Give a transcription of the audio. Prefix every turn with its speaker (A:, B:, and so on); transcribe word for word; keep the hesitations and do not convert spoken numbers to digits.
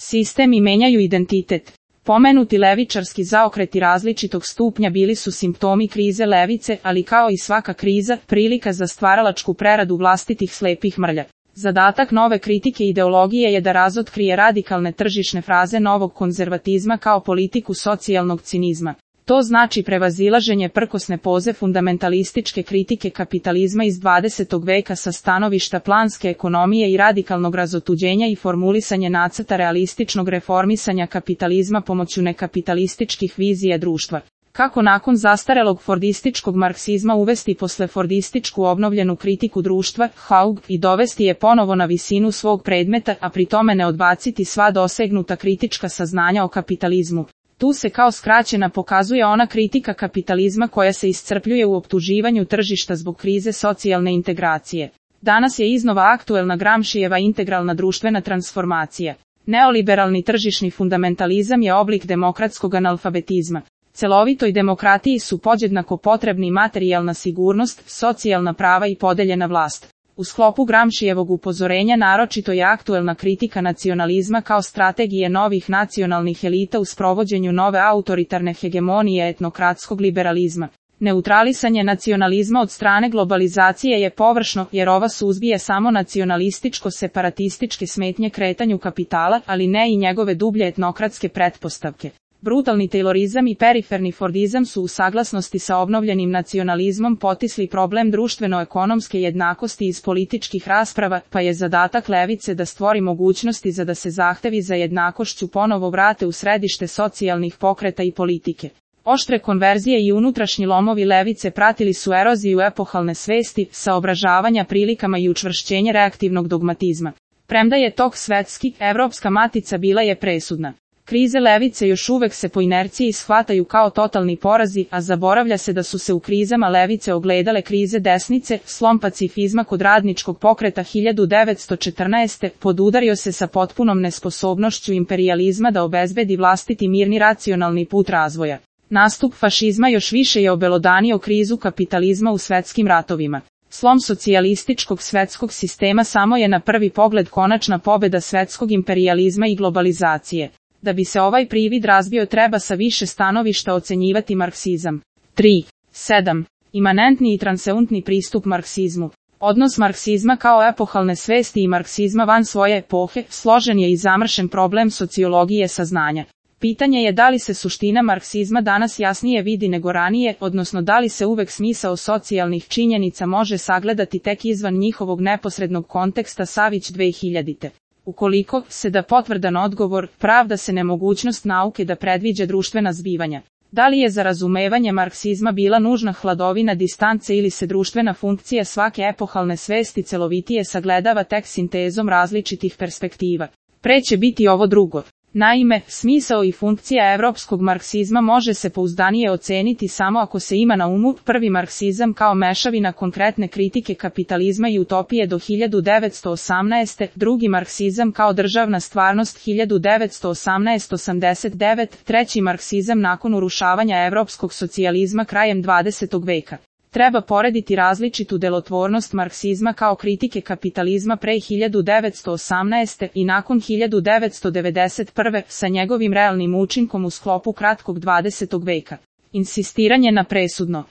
A: sistem i menjaju identitet. Pomenuti levičarski zaokreti različitog stupnja bili su simptomi krize levice, ali kao i svaka kriza, prilika za stvaralačku preradu vlastitih slepih mrlja. Zadatak nove kritike ideologije je da razotkrije radikalne tržišne fraze novog konzervatizma kao politiku socijalnog cinizma. To znači prevazilaženje prkosne poze fundamentalističke kritike kapitalizma iz dvadesetog veka sa stanovišta planske ekonomije i radikalnog razotuđenja i formulisanje nacrta realističnog reformisanja kapitalizma pomoću nekapitalističkih vizija društva. Kako nakon zastarelog fordističkog marksizma uvesti posle fordističku obnovljenu kritiku društva, Haug, i dovesti je ponovo na visinu svog predmeta, a pri tome ne odbaciti sva dosegnuta kritička saznanja o kapitalizmu. Tu se kao skraćena pokazuje ona kritika kapitalizma koja se iscrpljuje u optuživanju tržišta zbog krize socijalne integracije. Danas je iznova aktuelna Gramscijeva integralna društvena transformacija. Neoliberalni tržišni fundamentalizam je oblik demokratskog analfabetizma. Celovitoj demokratiji su podjednako potrebni materijalna sigurnost, socijalna prava i podeljena vlast. U sklopu Gramscijevog upozorenja naročito je aktuelna kritika nacionalizma kao strategije novih nacionalnih elita u sprovođenju nove autoritarne hegemonije etnokratskog liberalizma. Neutralisanje nacionalizma od strane globalizacije je površno, jer ova suzbije samo nacionalističko-separatističke smetnje kretanju kapitala, ali ne i njegove dublje etnokratske pretpostavke. Brutalni taylorizam i periferni fordizam su u saglasnosti sa obnovljenim nacionalizmom potisli problem društveno-ekonomske jednakosti iz političkih rasprava, pa je zadatak levice da stvori mogućnosti za da se zahtevi za jednakošću ponovo vrate u središte socijalnih pokreta i politike. Oštre konverzije i unutrašnji lomovi levice pratili su eroziju epohalne svesti, saobražavanja prilikama i učvršćenje reaktivnog dogmatizma. Premda je tok svetski, evropska matica bila je presudna. Krize levice još uvek se po inerciji shvataju kao totalni porazi, a zaboravlja se da su se u krizama levice ogledale krize desnice, slom pacifizma kod radničkog pokreta hiljadu devetsto četrnaeste. podudario se sa potpunom nesposobnošću imperijalizma da obezbedi vlastiti mirni racionalni put razvoja. Nastup fašizma još više je obelodanio krizu kapitalizma u svetskim ratovima. Slom socijalističkog svetskog sistema samo je na prvi pogled konačna pobeda svetskog imperijalizma i globalizacije. Da bi se ovaj privid razbio treba sa više stanovišta ocenjivati marksizam. tri. sedam. Imanentni i transeuntni pristup marksizmu. Odnos marksizma kao epohalne svesti i marksizma van svoje epohe, složen je i zamršen problem sociologije saznanja. Pitanje je da li se suština marksizma danas jasnije vidi nego ranije, odnosno da li se uvek smisao socijalnih činjenica može sagledati tek izvan njihovog neposrednog konteksta Savić dve hiljadite. Ukoliko se da potvrdan odgovor, pravda se nemogućnost nauke da predviđa društvena zbivanja. Da li je za razumevanje marksizma bila nužna hladovina distance ili se društvena funkcija svake epohalne svesti celovitije sagledava tek sintezom različitih perspektiva? Pre će biti ovo drugo. Naime, smisao i funkcija evropskog marksizma može se pouzdanije oceniti samo ako se ima na umu prvi marksizam kao mešavina konkretne kritike kapitalizma i utopije do hiljadu devetsto osamnaeste, drugi marksizam kao državna stvarnost hiljadu devetsto osamnaeste do osamdeset devete, treći marksizam nakon urušavanja evropskog socijalizma krajem dvadesetog veka. Treba porediti različitu delotvornost marksizma kao kritike kapitalizma pre hiljadu devetsto osamnaeste. i nakon hiljadu devetsto devedeset prve. sa njegovim realnim učinkom u sklopu kratkog dvadesetog veka. Insistiranje na presudno